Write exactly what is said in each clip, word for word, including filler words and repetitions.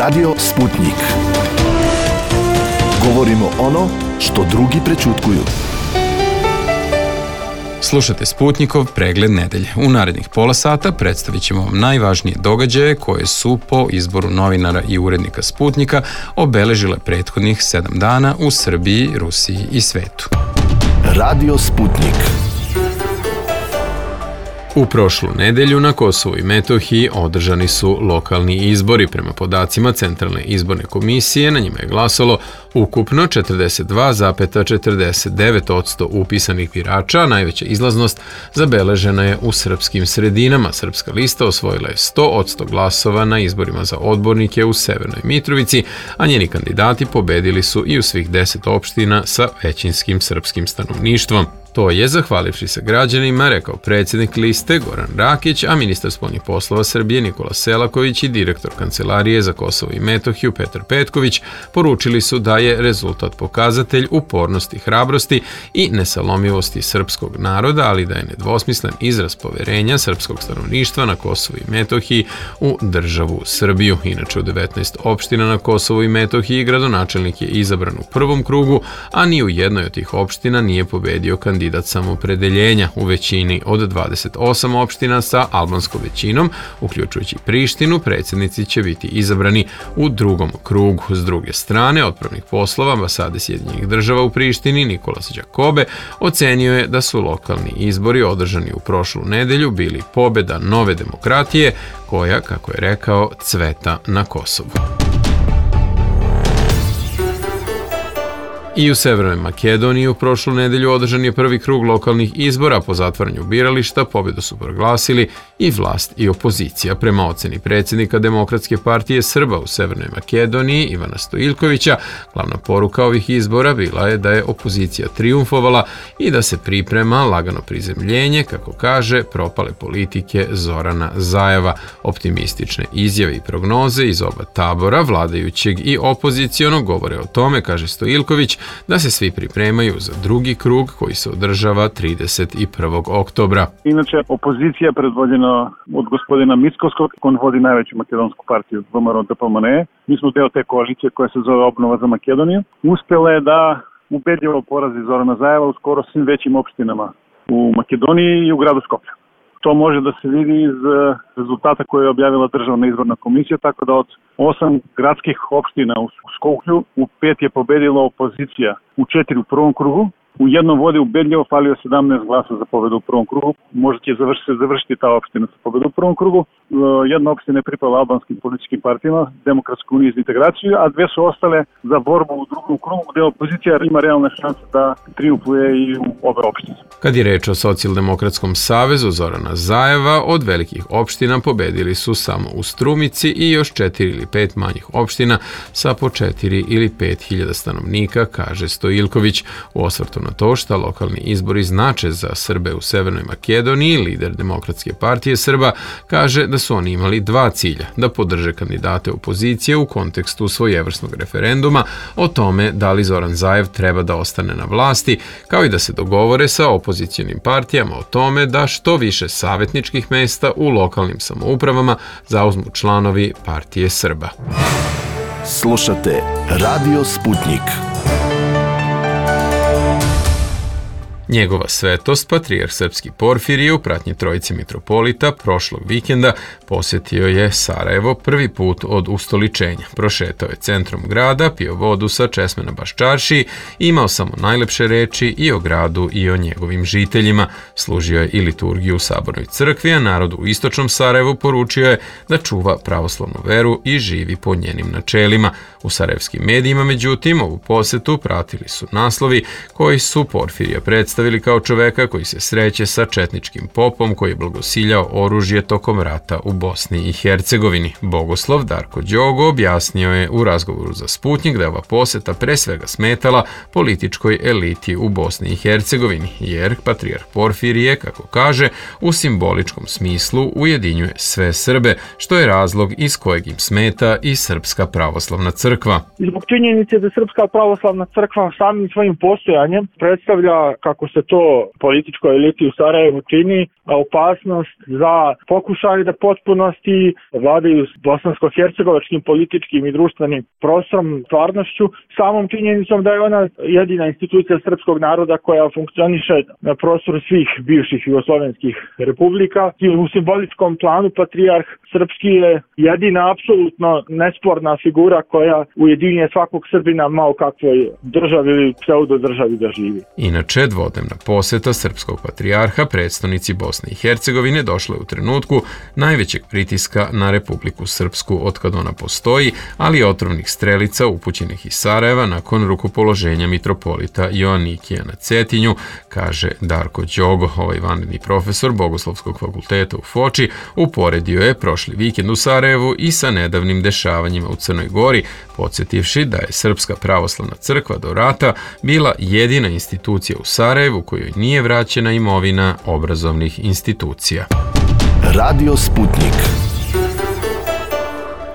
Radio Sputnik. Govorimo ono što drugi prećutkuju. Slušate Sputnikov pregled nedelje. U narednih pola sata predstavit ćemo vam najvažnije događaje koje su po izboru novinara i urednika Sputnika obeležile prethodnih sedam dana u Srbiji, Rusiji i svetu. Radio Sputnik. U prošlu nedelju na Kosovu i Metohiji održani su lokalni izbori. Prema podacima Centralne izborne komisije na njima je glasalo ukupno četrdeset dva zarez četrdeset devet posto upisanih birača, a najveća izlaznost zabeležena je u srpskim sredinama. Srpska lista osvojila je sto posto glasova na izborima za odbornike u Severnoj Mitrovici, a njeni kandidati pobedili su i u svih deset opština sa većinskim srpskim stanovništvom. To je, zahvalivši se građanima, rekao predsjednik liste Goran Rakić, a ministar spoljnih poslova Srbije Nikola Selaković i direktor Kancelarije za Kosovo i Metohiju Petar Petković poručili su da je rezultat pokazatelj upornosti, hrabrosti i nesalomivosti srpskog naroda, ali da je nedvosmislen izraz poverenja srpskog stanovništva na Kosovu i Metohiji u državu Srbiju. Inače, u devetnaest opština na Kosovu i Metohiji gradonačelnik je izabran u prvom krugu, a ni u jednoj od tih opština nije pobedio kandidat kandidat samopredeljenja. U većini od dvadeset osam opština sa albanskom većinom, uključujući Prištinu, predsjednici će biti izabrani u drugom krugu. S druge strane, otpravnik poslova ambasade Sjedinjenih država u Prištini Nikolas Đakobe ocenio je da su lokalni izbori održani u prošlu nedelju bili pobjeda nove demokratije koja, kako je rekao, cveta na Kosovu. I u Severnoj Makedoniji u prošlu nedelju održan je prvi krug lokalnih izbora. Po zatvaranju birališta pobjedu su proglasili i vlast i opozicija. Prema oceni predsjednika Demokratske partije Srba u Severnoj Makedoniji Ivana Stojiljkovića, glavna poruka ovih izbora bila je da je opozicija trijumfovala i da se priprema lagano prizemljenje, kako kaže, propale politike Zorana Zajeva. Optimistične izjave i prognoze iz oba tabora, vladajućeg i opozicionog, govore o tome, kaže Stojiljković, da se svi pripremaju za drugi krug koji se održava trideset prvog oktobra. Inače, opozicija predvođena od gospodina Mickovskog, on vodi najveću makedonsku partiju V M R O D P M N E. Mi smo deo te koalicije koja se zove Obnova za Makedoniju. Uspjela je da ubedljivo porazi Zorana Zajeva u skoro svim većim opštinama u Makedoniji i u gradu Skoplju. To može da se vidi iz rezultata koje je objavila Državna izborna komisija, tako da od osam gradskih opština u Skoplju u pet je pobedila opozicija, u četiri u prvom krugu, u jednom vodi ubedljivo, falio sedamnaest glasa za pobedu u prvom krugu. Možda će završiti, završiti ta opština sa pobedu u prvom krugu. Jedna opština je pripala albanskim političkim partijama, Demokratskoj uniji za integraciju, a dve su ostale za borbu u drugom krugu, gde opozicija ima realne šanse da triumfuje i u obe opštine. Kad je reč o Socijaldemokratskom savezu Zorana Zajeva, od velikih opština pobedili su samo u Strumici i još četiri ili pet manjih opština sa po četiri ili pet hiljada stanovnika, kaže Stojiljković. U osvrtu na to šta lokalni izbori znače za Srbe u Severnoj Makedoniji, lider Demokratske partije Srba kaže da su oni imali dva cilja: da podrže kandidate opozicije u kontekstu svojevrsnog referenduma o tome da li Zoran Zajev treba da ostane na vlasti, kao i da se dogovore sa opozicionim partijama o tome da što više savjetničkih mesta u lokalnim samoupravama zauzmu članovi partije Srba. Slušate Radio Sputnik. Njegova svetost, patrijarh srpski Porfirije u pratnji trojice mitropolita prošlog vikenda posjetio je Sarajevo prvi put od ustoličenja. Prošetao je centrom grada, pio vodu sa česme na Baščaršiji, imao samo najlepše reči i o gradu i o njegovim žiteljima. Služio je i liturgiju u Sabornoj crkvi, a narodu u istočnom Sarajevu poručio je da čuva pravoslavnu veru i živi po njenim načelima. U sarajevskim medijima, međutim, ovu posjetu pratili su naslovi koji su Porfirija predstavili kao čoveka koji se sreće sa četničkim popom koji je blagosiljao oružje tokom rata u Bosni i Hercegovini. Bogoslov Darko Đogo objasnio je u razgovoru za Sputnik da je ova posjeta pre svega smetala političkoj eliti u Bosni i Hercegovini, jer patrijarh Porfirije, kako kaže, u simboličkom smislu ujedinjuje sve Srbe, što je razlog iz kojeg im smeta i Srpska pravoslavna crkva. Zbog činjenice da Srpska pravoslavna crkva samim svojim postojanjem predstavlja, kako se to političkoj eliti u Sarajevu čini, opasnost za pokušaj da potpunosti vladaju bosansko-hercegovačkim političkim i društvenim prostorom, stvarnošću, samom činjenicom da je ona jedina institucija srpskog naroda koja funkcioniše na prostoru svih bivših jugoslovenskih republika. I u simboličkom planu patrijarh srpski je jedina apsolutno nesporna figura koja ujedinjuje svakog Srbina malo kakvoj državi ili pseudodržavi da živi. Inače, dvodnevna poseta srpskog patrijarha predstavnici Bosne i Hercegovine došla je u trenutku najvećeg pritiska na Republiku Srpsku otkad ona postoji, ali i otrovnih strelica upućenih iz Sarajeva nakon rukopoloženja mitropolita Joanikija na Cetinju, kaže Darko Đogo, ovaj vanredni profesor Bogoslovskog fakulteta u Foči, uporedio je prošli vikend u Sarajevu i sa nedavnim dešavanjima u Crnoj Gori, podsjetivši da je Srpska pravoslavna crkva do rata bila jedina institucija u Sarajevu kojoj nije vraćena imovina obrazovnih institucija. Radio Sputnik.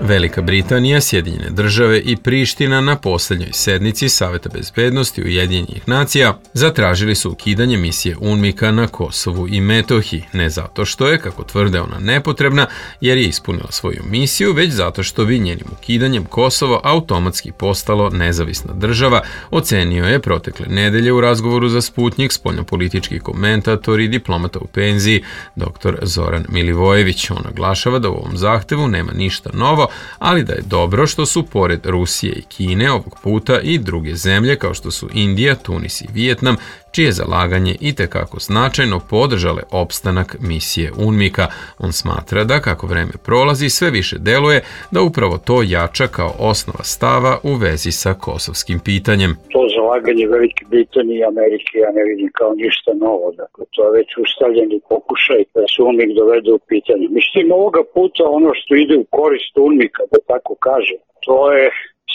Velika Britanija, Sjedinjene države i Priština na posljednjoj sednici Saveta bezbednosti Ujedinjenih nacija zatražili su ukidanje misije UNMIK-a na Kosovu i Metohiji, ne zato što je, kako tvrde, ona nepotrebna jer je ispunila svoju misiju, već zato što bi njenim ukidanjem Kosovo automatski postalo nezavisna država, ocenio je protekle nedelje u razgovoru za Sputnik spoljnopolitički komentator i diplomata u penziji dr. Zoran Milivojević. On naglašava da u ovom zahtevu nema ništa novo, ali da je dobro što su pored Rusije i Kine ovog puta i druge zemlje kao što su Indija, Tunis i Vijetnam, čije zalaganje itekako značajno podržale opstanak misije UNMIK-a. On smatra da kako vreme prolazi sve više deluje da upravo to jača kao osnova stava u vezi sa kosovskim pitanjem. To zalaganje Velike Britanije i Amerike ja ne vidim kao ništa novo. Dakle, to je već ustavljeni pokušaj da se UNMIK dovede u pitanje. Mislim, ovoga puta ono što ide u korist UNMIK-a, da tako kaže, to je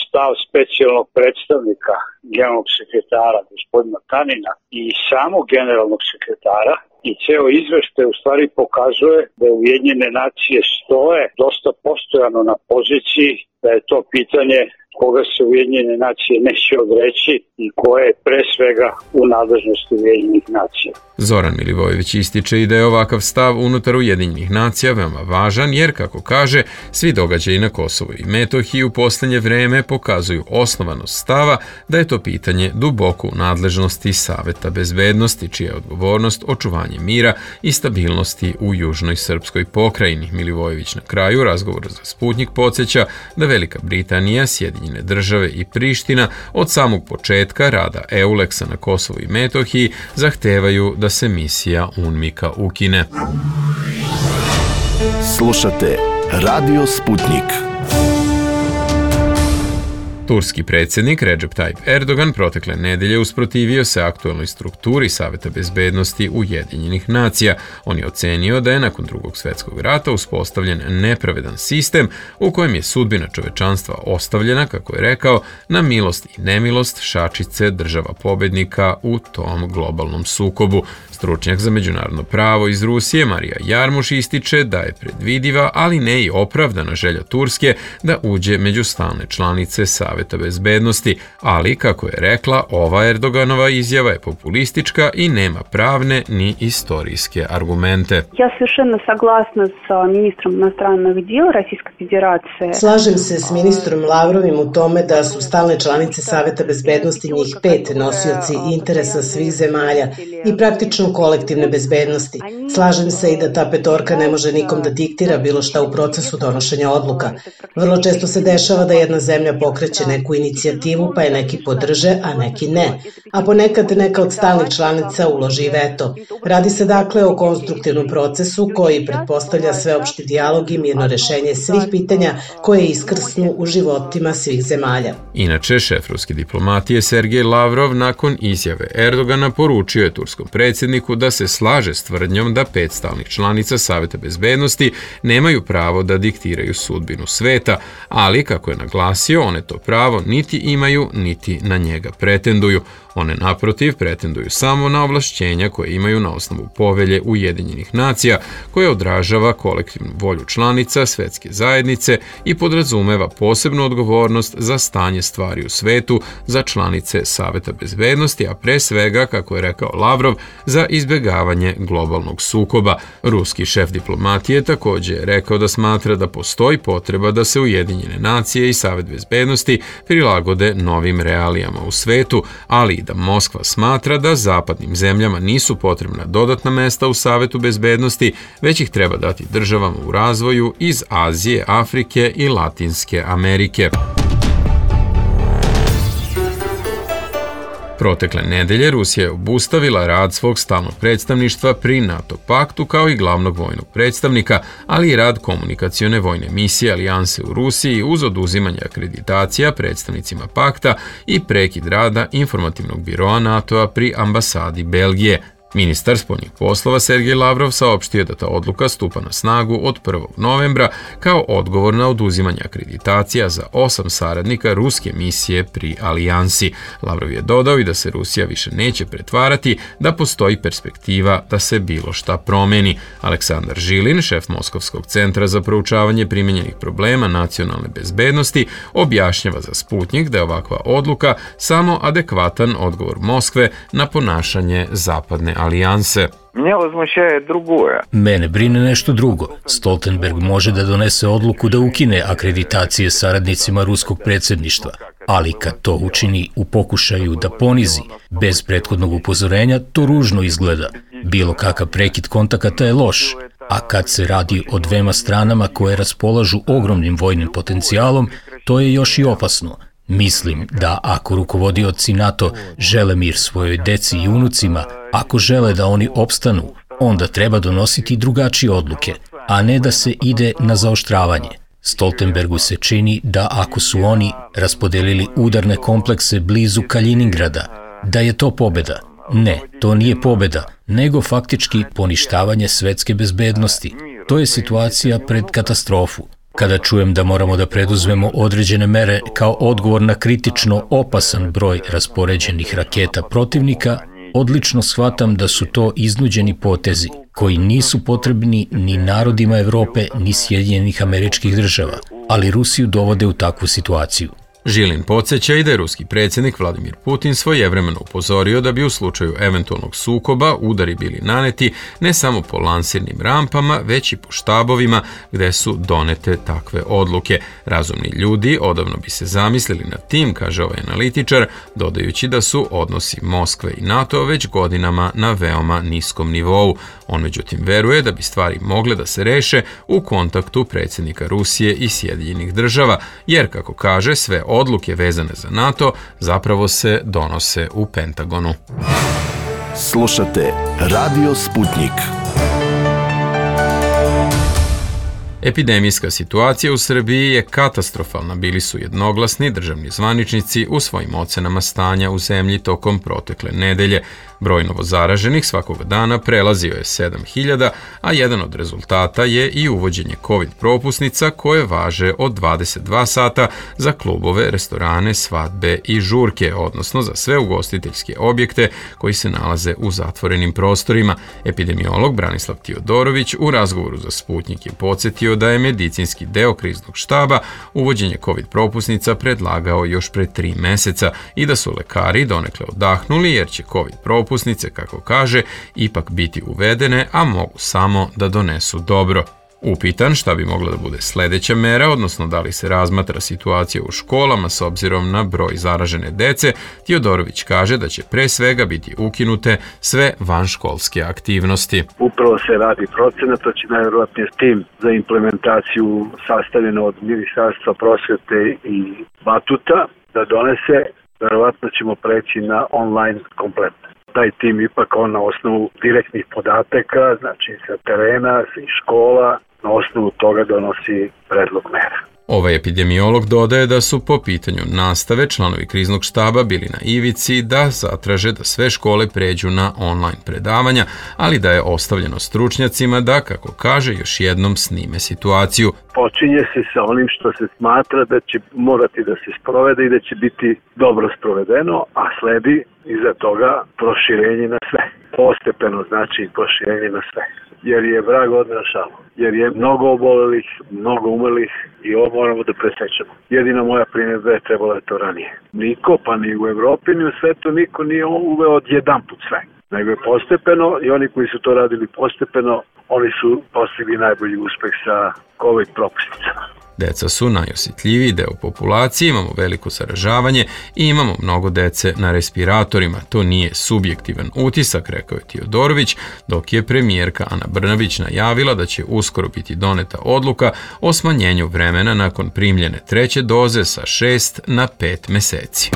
stav specijalnog predstavnika generalnog sekretara gospodina Tanina i samog generalnog sekretara i ceo izveštaj u stvari pokazuje da Ujedinjene nacije stoje dosta postojano na poziciji da je to pitanje koga se Ujedinjene nacije neće odreći i koje je pre svega u nadležnosti Ujedinjenih nacija. Zoran Milivojević ističe i da je ovakav stav unutar Ujedinjenih nacija veoma važan jer, kako kaže, svi događaji na Kosovu i Metohiji u posljednje vreme pokazuju osnovanost stava da je to pitanje duboko u nadležnosti Saveta bezbednosti, čija je odgovornost očuvanje mira i stabilnosti u južnoj srpskoj pokrajini. Milivojević na kraju razgovora za Sputnik podsjeća da Velika Britanija, Sjedinjene države i Priština od samog početka rada EULEX-a na Kosovu i Metohiji zahtevaju da se misija UNMIK-a ukine. Slušate Radio Sputnik. Turski predsjednik Recep Tayyip Erdogan protekle nedelje usprotivio se aktualnoj strukturi Saveta bezbednosti Ujedinjenih nacija. On je ocenio da je nakon drugog svjetskog rata uspostavljen nepravedan sistem u kojem je sudbina čovečanstva ostavljena, kako je rekao, na milost i nemilost šačice država pobednika u tom globalnom sukobu. Stručnjak za međunarodno pravo iz Rusije Marija Jarmuš ističe da je predvidiva, ali ne i opravdana želja Turske da uđe među stalne članice Saveta bezbednosti, ali, kako je rekla, ova Erdoganova izjava je populistička i nema pravne ni istorijske argumente. Ja совершенно согласна sa ministrom inostranih djela Российской Federacije. Slažem se s ministrom Lavrovim u tome da su stalne članice Saveta bezbednosti njih pet nosioci interesa svih zemalja i praktično kolektivne bezbednosti. Slažem se i da ta petorka ne može nikom da diktira bilo šta u procesu donošenja odluka. Vrlo često se dešava da jedna zemlja pokreće neku inicijativu pa je neki podrže, a neki ne. A ponekad neka od stalnih članica uloži veto. Radi se dakle o konstruktivnom procesu koji pretpostavlja sveopšti dijalog i mirno rešenje svih pitanja koje iskrsnu u životima svih zemalja. Inače, šef ruske diplomatije Sergej Lavrov nakon izjave Erdogana poručio je turskom predsjedniku da se slaže s tvrdnjom da pet stalnih članica Saveta bezbednosti nemaju pravo da diktiraju sudbinu sveta, ali, kako je naglasio, one to pravo niti imaju, niti na njega pretenduju. One naprotiv pretenduju samo na ovlašćenja koje imaju na osnovu povelje Ujedinjenih nacija, koja odražava kolektivnu volju članica svetske zajednice i podrazumeva posebnu odgovornost za stanje stvari u svetu za članice Saveta bezbednosti, a pre svega, kako je rekao Lavrov, za izbjegavanje globalnog sukoba. Ruski šef diplomatije također je rekao da smatra da postoji potreba da se Ujedinjene nacije i Savet bezbednosti prilagode novim realijama u svetu, ali i da Moskva smatra da zapadnim zemljama nisu potrebna dodatna mesta u Savetu bezbednosti, već ih treba dati državama u razvoju iz Azije, Afrike i Latinske Amerike. Protekle nedelje Rusija je obustavila rad svog stalnog predstavništva pri NATO paktu kao i glavnog vojnog predstavnika, ali i rad komunikacione vojne misije Alijanse u Rusiji uz oduzimanje akreditacija predstavnicima pakta i prekid rada informativnog biroa NATO-a pri ambasadi Belgije. Ministar spoljnih poslova Sergej Lavrov saopštio da ta odluka stupa na snagu od prvog novembra kao odgovor na oduzimanje akreditacija za osam saradnika ruske misije pri Alijansi. Lavrov je dodao i da se Rusija više neće pretvarati da postoji perspektiva da se bilo šta promeni. Aleksandar Žilin, šef Moskovskog centra za proučavanje primenjenih problema nacionalne bezbednosti, objašnjava za Sputnjik da je ovakva odluka samo adekvatan odgovor Moskve na ponašanje zapadne alijanse. Mene brine nešto drugo. Stoltenberg može da donese odluku da ukine akreditacije saradnicima ruskog predsjedništva, ali kad to učini u pokušaju da ponizi bez prethodnog upozorenja, to ružno izgleda. Bilo kakav prekid kontakata je loš, a kad se radi o dvema stranama koje raspolažu ogromnim vojnim potencijalom, to je još i opasno. Mislim da ako rukovodioci NATO žele mir svojoj deci i unucima, ako žele da oni opstanu, onda treba donositi drugačije odluke, a ne da se ide na zaoštravanje. Stoltenbergu se čini da ako su oni raspodelili udarne komplekse blizu Kaliningrada, da je to pobjeda. Ne, to nije pobjeda, nego faktički poništavanje svetske bezbednosti. To je situacija pred katastrofu. Kada čujem da moramo da preduzmemo određene mere kao odgovor na kritično opasan broj raspoređenih raketa protivnika, odlično shvatam da su to iznuđeni potezi koji nisu potrebni ni narodima Evrope ni Sjedinjenih Američkih Država, ali Rusiju dovode u takvu situaciju. Žilin podsjeća i da je ruski predsjednik Vladimir Putin svojevremeno upozorio da bi u slučaju eventualnog sukoba udari bili naneti ne samo po lansirnim rampama, već i po štabovima gde su donete takve odluke. Razumni ljudi odavno bi se zamislili nad tim, kaže ovaj analitičar, dodajući da su odnosi Moskve i NATO već godinama na veoma niskom nivou. On međutim veruje da bi stvari mogle da se reše u kontaktu predsjednika Rusije i Sjedinjenih Država, jer, kako kaže, sve odluke vezane za NATO zapravo se donose u Pentagonu. Slušate Radio Sputnik. Epidemijska situacija u Srbiji je katastrofalna, bili su jednoglasni državni zvaničnici u svojim ocenama stanja u zemlji tokom protekle nedelje. Broj novozaraženih svakog dana prelazio je sedam hiljada, a jedan od rezultata je i uvođenje COVID propusnica koje važe od dvadeset dva sata za klubove, restorane, svadbe i žurke, odnosno za sve ugostiteljske objekte koji se nalaze u zatvorenim prostorima. Epidemiolog Branislav Tiodorović u razgovoru za Sputnjik je podsjetio da je medicinski deo kriznog štaba uvođenje COVID propusnica predlagao još pre tri meseca i da su lekari donekle odahnuli jer će COVID propusnice Propusnice, kako kaže, ipak biti uvedene, a mogu samo da donesu dobro. Upitan šta bi mogla da bude sljedeća mera, odnosno da li se razmatra situacija u školama s obzirom na broj zaražene dece, Tiodorović kaže da će pre svega biti ukinute sve vanškolske aktivnosti. Upravo se radi procena, to će najvjerojatnije tim za implementaciju sastavljeno od Ministarstva prosvete i Batuta da donese, vjerojatno ćemo preći na online komplet. Taj tim ipak on na osnovu direktnih podataka, znači sa terena, iz škola, na osnovu toga donosi predlog mera. Ovaj epidemiolog dodaje da su po pitanju nastave članovi kriznog štaba bili na ivici da zatraže da sve škole pređu na online predavanja, ali da je ostavljeno stručnjacima da, kako kaže, još jednom snime situaciju. Počinje se sa onim što se smatra da će morati da se sprovede i da će biti dobro sprovedeno, a sledi iza toga proširenje na sve. Postepeno znači proširenje na sve. Jer je vrag odneo šalu. Jer je mnogo obolelih, mnogo umelih i ovo moramo da presečemo. Jedina moja primjedba je trebalo je to ranije. Niko, pa ni u Evropi, ni u svetu, niko nije uveo odjedan put sve. Nego je postepeno i oni koji su to radili postepeno, oni su postigli najbolji uspeh sa COVID propusticama. Deca su najosjetljiviji deo populacije, imamo veliko zaražavanje i imamo mnogo dece na respiratorima. To nije subjektivan utisak, rekao je Tiodorović, dok je premijerka Ana Brnabić najavila da će uskoro biti doneta odluka o smanjenju vremena nakon primljene treće doze sa šest na pet meseci.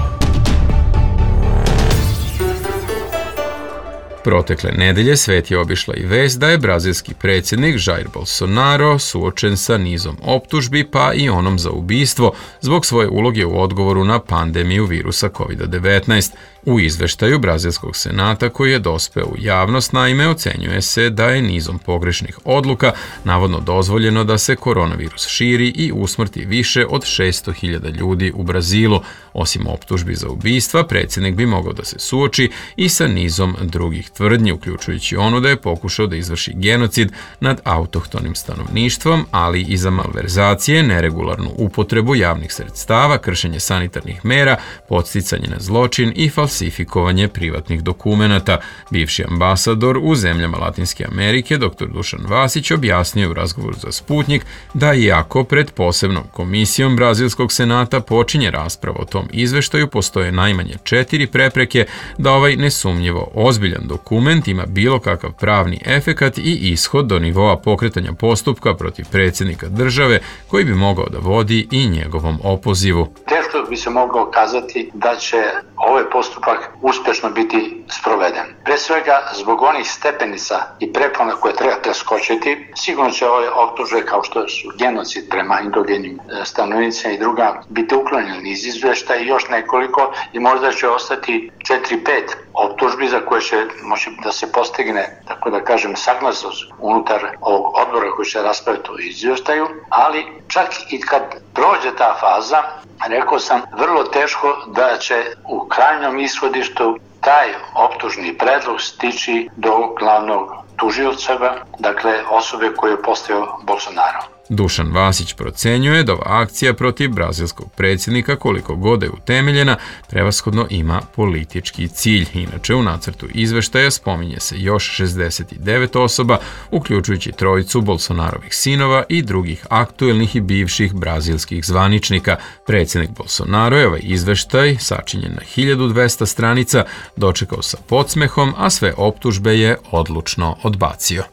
Protekle nedelje svet je obišla i vest da je brazilski predsjednik Jair Bolsonaro suočen sa nizom optužbi, pa i onom za ubistvo, zbog svoje uloge u odgovoru na pandemiju virusa kovid devetnaest. U izveštaju Brazilskog senata koji je dospeo u javnost, naime, ocenjuje se da je nizom pogrešnih odluka navodno dozvoljeno da se koronavirus širi i usmrti više od šesto hiljada ljudi u Brazilu. Osim optužbi za ubistva, predsjednik bi mogao da se suoči i sa nizom drugih tvrdnji, uključujući onu da je pokušao da izvrši genocid nad autohtonim stanovništvom, ali i za malverzacije, neregularnu upotrebu javnih sredstava, kršenje sanitarnih mera, podsticanje na zločin i falsifikovanje privatnih dokumenata. Bivši ambasador u zemljama Latinske Amerike, dr Dušan Vasić, objasnio u razgovoru za Sputnjik da iako pred posebnom komisijom Brazilskog senata počinje rasprava o tom izveštaju, postoje najmanje četiri prepreke da ovaj nesumnjivo ozbiljan dokument ima bilo kakav pravni efekat i ishod do nivoa pokretanja postupka protiv predsjednika države koji bi mogao da vodi i njegovom opozivu. Teško bi se mogao kazati da će ovaj postupak uspješno biti sproveden. Pre svega, zbog onih stepenica i prepona koje treba preskočiti, sigurno će ove optužbe kao što su genocid prema indogenim stanovnicima i druga biti uklonjeni iz izveštaja i još nekoliko i možda će ostati četiri pet optužbi za koje će moći da se postigne, tako da kažem, saglasnost unutar ovog odbora koji će raspraviti o izvještaju, ali čak i kad prođe ta faza, rekao sam, vrlo teško da će u krajnjom ishodištu taj optužni predlog stići do glavnog tužioca, dakle osobe koju je postavio Bolsonaro. Dušan Vasić procenjuje da ova akcija protiv brazilskog predsjednika, koliko god je utemeljena, prevashodno ima politički cilj. Inače, u nacrtu izveštaja spominje se još šezdeset devet osoba, uključujući trojicu Bolsonarovih sinova i drugih aktuelnih i bivših brazilskih zvaničnika. Predsjednik Bolsonaro je ovaj izveštaj, sačinjen na hiljadu dvesta stranica, dočekao sa podsmehom, a sve optužbe je odlučno odbacio.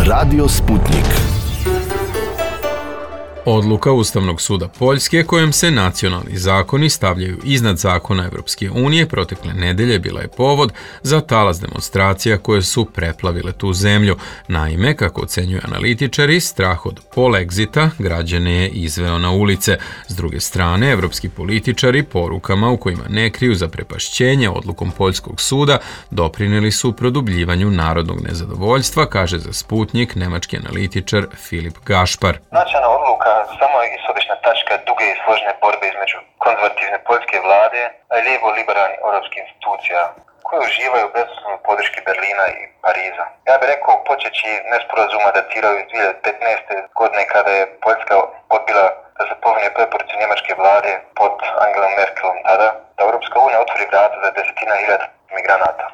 Radio Sputnjik. Odluka Ustavnog suda Poljske kojom se nacionalni zakoni stavljaju iznad zakona Evropske unije protekle nedelje bila je povod za talas demonstracija koje su preplavile tu zemlju. Naime, kako ocenjuju analitičari, strah od polexita građane je izveo na ulice. S druge strane, evropski političari porukama u kojima ne kriju zaprepašćenje odlukom Poljskog suda doprineli su produbljivanju narodnog nezadovoljstva, kaže za Sputnjik nemački analitičar Filip Gašpar. Nacionalna odluka samo je ishodišna tačka duge i složene borbe između konzervativne poljske vlade, a i lijevo-liberalnih europskih institucija, koje uživaju bezuslovnu podrške Berlina i Pariza. Ja bih rekao, počeći nesporazuma datiraju iz dvije hiljade petnaeste. godine kada je Poljska odbila da se povinje preporuci njemačke vlade pod Angelom Merkelom tada, da Europska unija otvori vrata za desetina hiljada migranata.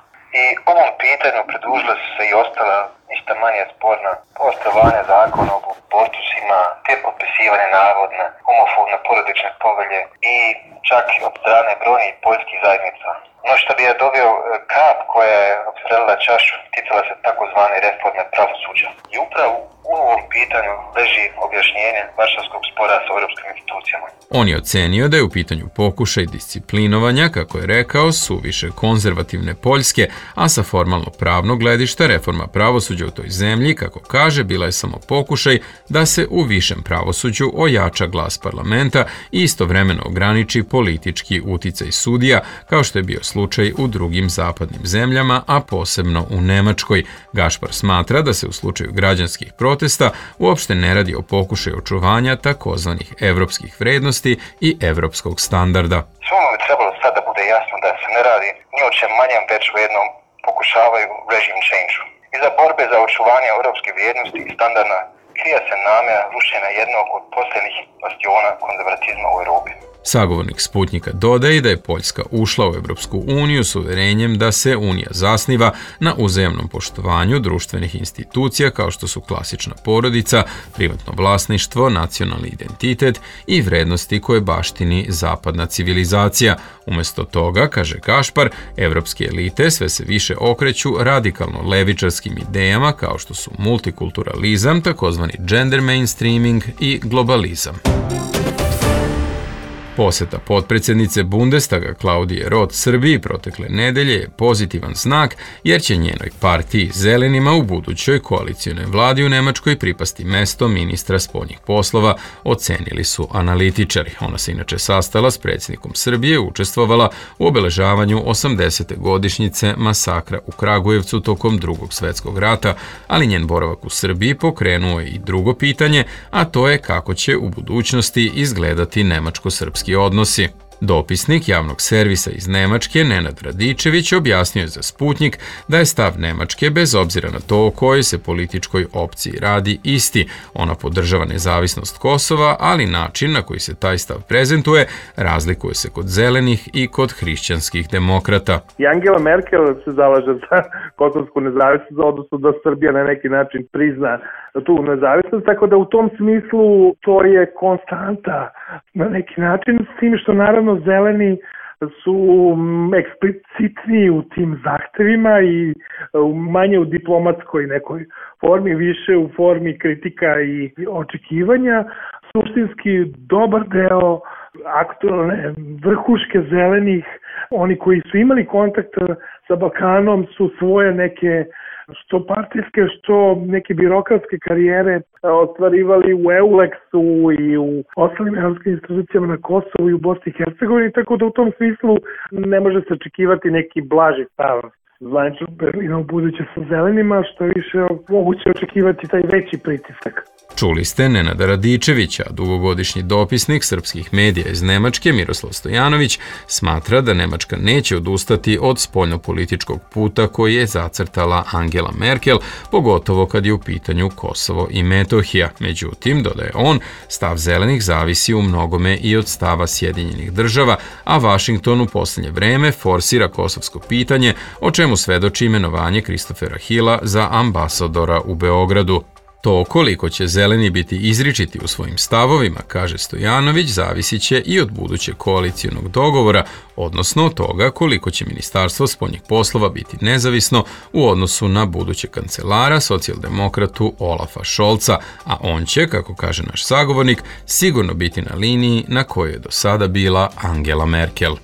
I ovom pitanju pridružila su se i ostala ništa manje sporna pooštravanje zakona o abortusima, te potpisivanje navodne homofobne porodične povelje i čak i od strane brojnih poljskih zajednica. No što bi je doveo kap koja je opstrelila čašu, ticala se takozvane reforme pravosuđa. I upravo u ovom pitanju leži objašnjenje Varšavskog spora sa europskim institucijama. On je ocenio da je u pitanju pokušaj disciplinovanja, kako je rekao, suviše konzervativne Poljske, a sa formalno pravnog gledišta reforma pravosuđa u toj zemlji, kako kaže, bila je samo pokušaj da se u višem pravosuđu ojača glas parlamenta i istovremeno ograniči politički uticaj sudija, kao što je bio slučaj u drugim zapadnim zemljama, a posebno u Nemačkoj. Gašpar smatra da se u slučaju građanskih protesta uopšte ne radi o pokušaju očuvanja takozvanih evropskih vrednosti i evropskog standarda. Svoma bi trebalo sad da bude jasno da se ne radi ni o čem manjem, već o jednom pokušavaju režim change-u. Iza borbe za očuvanje evropske vrijednosti i standarda krije se namjera rušenja jednog od posljednjih bastiona konzervatizma u Europi. Sagovornik Sputnika dodaje da je Poljska ušla u Evropsku uniju s uverenjem da se Unija zasniva na uzajamnom poštovanju društvenih institucija kao što su klasična porodica, privatno vlasništvo, nacionalni identitet i vrednosti koje baštini zapadna civilizacija. Umjesto toga, kaže Gašpar, evropske elite sve se više okreću radikalno levičarskim idejama kao što su multikulturalizam, takozvani gender mainstreaming i globalizam. Poseta potpredsjednice Bundestaga Klaudije Roth Srbiji protekle nedelje je pozitivan znak jer će njenoj partiji Zelenima u budućoj koalicijnoj vladi u Nemačkoj pripasti mesto ministra spoljnih poslova, ocenili su analitičari. Ona se inače sastala s predsjednikom Srbije i učestvovala u obeležavanju osamdesete godišnjice masakra u Kragujevcu tokom Drugog svjetskog rata, ali njen boravak u Srbiji pokrenuo je i drugo pitanje, a to je kako će u budućnosti izgledati nemačko-srpski odnosi. Dopisnik javnog servisa iz Nemačke, Nenad Radičević, objasnio je za Sputnik da je stav Nemačke, bez obzira na to o kojoj se političkoj opciji radi, isti. Ona podržava nezavisnost Kosova, ali način na koji se taj stav prezentuje razlikuje se kod zelenih i kod hrišćanskih demokrata. I Angela Merkel se zalaže za kosovsku nezavisnost, odnosno da Srbija na neki način prizna tu nezavisnost, tako da u tom smislu to je konstanta na neki način, s tim što naravno zeleni su eksplicitniji u tim zahtevima i manje u diplomatskoj nekoj formi, više u formi kritika i očekivanja. Suštinski dobar deo aktualne vrhuške zelenih, oni koji su imali kontakt sa Balkanom, su svoje neke što partijske, što neke birokratske karijere ostvarivali u EULEX-u i u ostalim evropskim institucijama na Kosovu i u Bosni i Hercegovini, tako da u tom smislu ne može se očekivati neki blaži stav zvaničnog Berlina u buduće sa zelenima, što je više moguće očekivati taj veći pritisak. Čuli ste Nenada Radičevića, dugogodišnji dopisnik srpskih medija iz Nemačke, Miroslav Stojanović, smatra da Nemačka neće odustati od spoljnopolitičkog puta koji je zacrtala Angela Merkel, pogotovo kad je u pitanju Kosovo i Metohija. Međutim, dodaje on, stav zelenih zavisi u mnogome i od stava Sjedinjenih država, a Vašington u posljednje vreme forsira kosovsko pitanje, o čemu svedoči imenovanje Kristofera Hilla za ambasadora u Beogradu. To koliko će zeleni biti izričiti u svojim stavovima, kaže Stojanović, zavisit će i od budućeg koalicijonog dogovora, odnosno od toga koliko će Ministarstvo spoljnih poslova biti nezavisno u odnosu na budućeg kancelara, socijaldemokratu Olafa Scholza, a on će, kako kaže naš sagovornik, sigurno biti na liniji na kojoj je do sada bila Angela Merkel.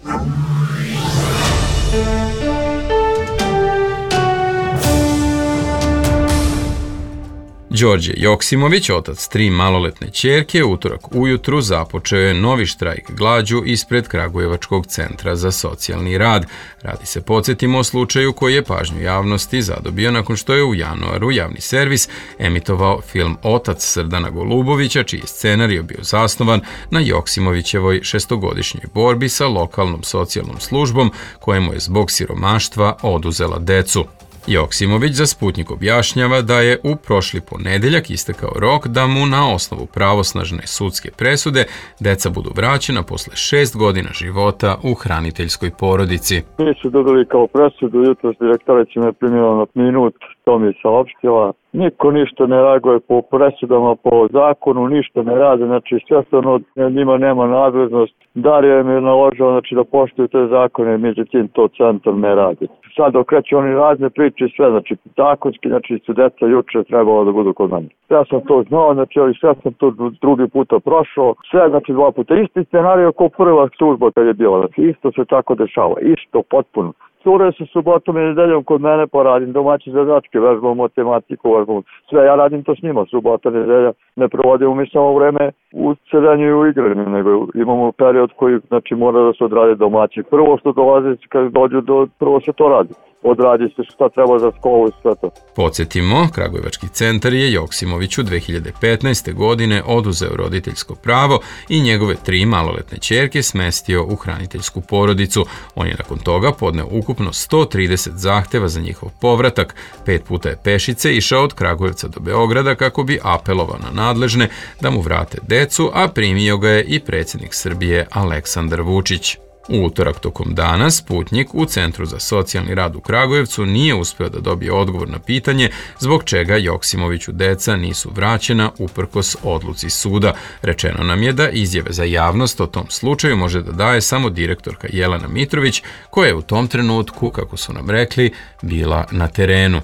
Đorđe Joksimović, otac tri maloletne ćerke, utorak ujutru započeo je novi štrajk glađu ispred Kragujevačkog centra za socijalni rad. Radi se, podsjetimo, o slučaju koji je pažnju javnosti zadobio nakon što je u januaru javni servis emitovao film Otac Srdana Golubovića, čiji je scenarij bio zasnovan na Joksimovićevoj šestogodišnjoj borbi sa lokalnom socijalnom službom kojemu je zbog siromaštva oduzela decu. Joksimović za Sputnik objašnjava da je u prošli ponedeljak istekao rok da mu na osnovu pravosnažne sudske presude deca budu vraćena posle šest godina života u hraniteljskoj porodici. Mi su dobili kao presudu, jutros direktorica me primila na minut, to mi je saopštila. niko ništa ne reaguje po presudama, po zakonu, ništa ne rade, znači sve što ono, njima nema nadležnost. Darija im je naložila znači, da poštuju te zakone, međutim to centar ne radi. Sad okreću oni razne priče i sve, znači zakonski, znači su deca juče trebalo da budu kod mene. Ja sam to znao, znači ali sve sam to drugi puta prošao, sve znači dva puta. Isti scenario kao prva služba kad je bila, znači isto se tako dešava, isto potpuno. Cure su subotom i nedeljom kod mene, pa radim domaće zadačke, vežbam matematiku, vežbam sve, ja radim to s njima, subota, nedelja, ne provodimo mi samo vreme u sedenju i u igranju, nego imamo period koji znači mora da se odradi domaće. Prvo što dolazi, kad dođu do, prvo se to radi. Odradi se šta treba za školu i sve to. Podsjetimo, Kragujevački centar je Joksimoviću dve hiljade petnaeste. godine oduzeo roditeljsko pravo i njegove tri maloletne ćerke smestio u hraniteljsku porodicu. On je nakon toga podneo ukupno sto trideset zahteva za njihov povratak. Pet puta je pešice išao od Kragujevca do Beograda kako bi apelovao na nadležne da mu vrate decu, a primio ga je i predsjednik Srbije Aleksandar Vučić. U utorak tokom dana Sputnjik u Centru za socijalni rad u Kragujevcu nije uspeo da dobije odgovor na pitanje zbog čega Joksimoviću deca nisu vraćena uprkos odluci suda. Rečeno nam je da izjave za javnost o tom slučaju može da daje samo direktorka Jelena Mitrović, koja je u tom trenutku, kako su nam rekli, bila na terenu.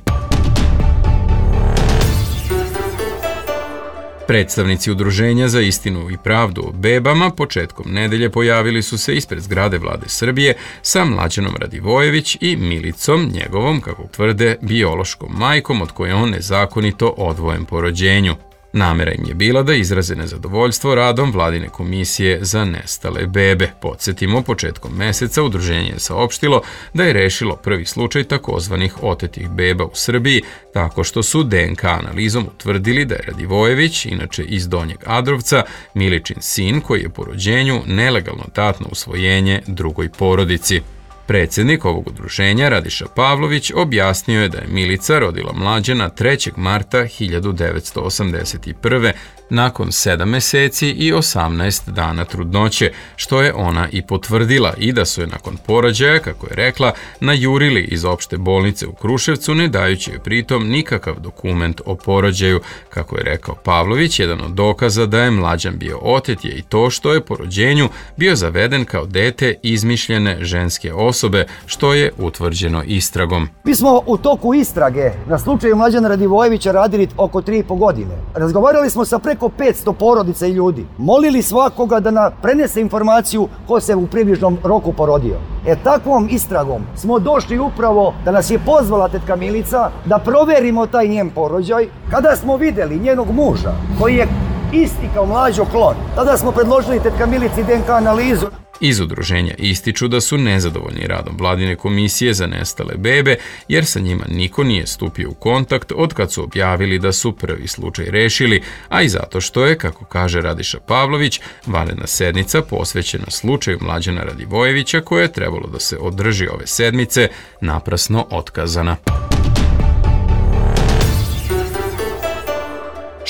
Predstavnici Udruženja za istinu i pravdu o bebama početkom nedelje pojavili su se ispred zgrade Vlade Srbije sa Mlađanom Radivojević i Milicom, njegovom, kako tvrde, biološkom majkom od koje on nezakonito odvojen po rođenju. Namera im je bila da izraze nezadovoljstvo radom Vladine komisije za nestale bebe. Podsjetimo, početkom meseca udruženje je saopštilo da je rešilo prvi slučaj takozvanih otetih beba u Srbiji tako što su D N K analizom utvrdili da je Radivojević, inače iz Donjeg Adrovca, Miličin sin koji je po rođenju nelegalno dat na usvojenje drugoj porodici. Predsjednik ovog udruženja, Radiša Pavlović, objasnio je da je Milica rodila Mlađana trećeg marta hiljadu devetsto osamdeset prve. nakon sedam meseci i osamnaest dana trudnoće, što je ona i potvrdila, i da su je nakon porođaja, kako je rekla, najurili iz opšte bolnice u Kruševcu, ne dajući joj pritom nikakav dokument o porođaju. Kako je rekao Pavlović, jedan od dokaza da je Mlađan bio otet je i to što je po rođenju bio zaveden kao dete izmišljene ženske osobe, što je utvrđeno istragom. Mi smo u toku istrage na slučaju Mlađana Radivojevića radili oko tri i po godine. Razgovarali smo sa preko petsto porodica i ljudi. Molili svakoga da nam prenese informaciju ko se u približnom roku porodio. E takvom istragom smo došli upravo da nas je pozvala tetka Milica da proverimo taj njen porođaj. Kada smo videli njenog muža koji je isti kao Mlađo klon, tada smo predložili tetka Milici D N K analizu. Iz udruženja ističu da su nezadovoljni radom Vladine komisije za nestale bebe, jer sa njima niko nije stupio u kontakt od kad su objavili da su prvi slučaj rešili, a i zato što je, kako kaže Radiša Pavlović, vanredna sednica posvećena slučaju Mlađana Radivojevića, koja je trebalo da se održi ove sedmice, naprasno otkazana.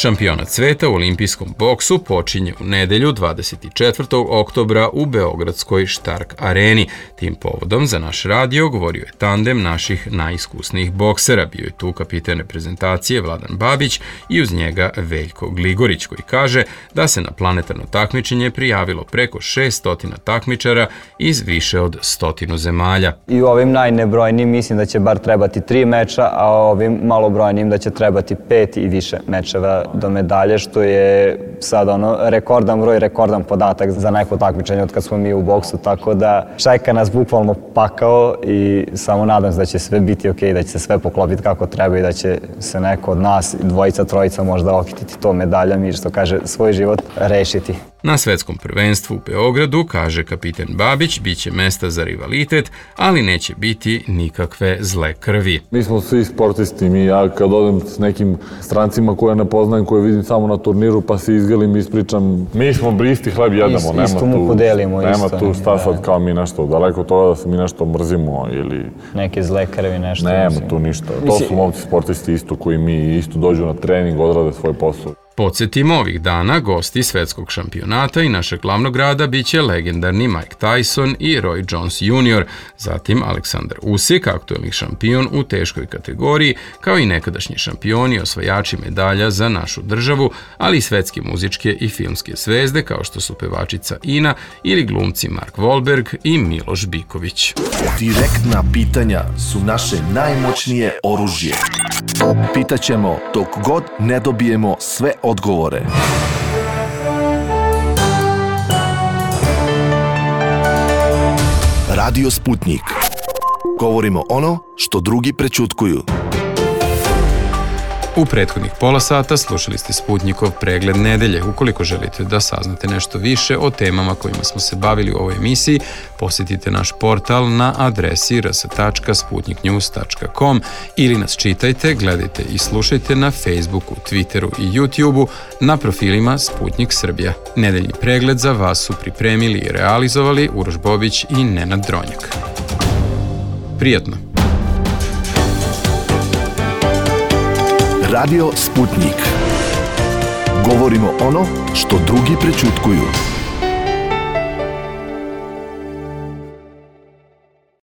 Šampionat sveta u olimpijskom boksu počinje u nedelju dvadeset četvrtog oktobra u beogradskoj Štark areni. Tim povodom za naš radio govorio je tandem naših najiskusnijih boksera. Bio je tu kapiten reprezentacije Vladan Babić i uz njega Veljko Gligorić, koji kaže da se na planetarno takmičenje prijavilo preko šeststo takmičara iz više od stotinu zemalja. I u ovim najnebrojnijim mislim da će bar trebati tri meča, a ovim malobrojnijim da će trebati pet i više mečeva do medalje, što je sad ono rekordan broj, rekordan podatak za neko takmičenje od kad smo mi u boksu, tako da čeka nas bukvalno pakao i samo nadam se da će sve biti ok, da će se sve poklopiti kako treba i da će se neko od nas, dvojica, trojica možda okititi to medaljama i što kaže svoj život rešiti. Na svetskom prvenstvu u Beogradu, kaže kapiten Babić, bit će mesta za rivalitet, ali neće biti nikakve zle krvi. Mi smo svi sportisti, mi ja kad odem s nekim strancima koje ne poznajem, koje vidim samo na turniru, pa se izgelim i ispričam. Mi smo isti hleb jedemo, nema isto mu podelimo, nema isto, tu šta sad kao mi nešto, daleko toga da se mi nešto mrzimo ili... Neke zle krvi, nešto. Nema tu ništa. To su momci sportisti isto koji mi isto dođu na trening, odrade svoj posao. Podsjetimo, ovih dana gosti svetskog šampionata i našeg glavnog grada biće legendarni Mike Tyson i Roy Jones junior, zatim Aleksandar Usyk, aktuelni šampion u teškoj kategoriji, kao i nekadašnji šampioni i osvajači medalja za našu državu, ali i svetske muzičke i filmske zvezde kao što su pevačica Ina ili glumci Mark Wahlberg i Miloš Biković. Direktna pitanja su naše najmoćnije oružje. Pitaćemo dok god ne dobijemo sve odgovore. Radio Sputnik. Govorimo ono što drugi prećutkuju. U prethodnih pola sata slušali ste Sputnikov pregled nedelje. Ukoliko želite da saznate nešto više o temama kojima smo se bavili u ovoj emisiji, posjetite naš portal na adresi r s tačka sputnik news tačka com ili nas čitajte, gledajte i slušajte na Facebooku, Twitteru i YouTubeu na profilima Sputnik Srbija. Nedeljni pregled za vas su pripremili i realizovali Uroš Bobić i Nenad Dronjak. Prijatno! Radio Sputnik. Govorimo ono što drugi prećutkuju.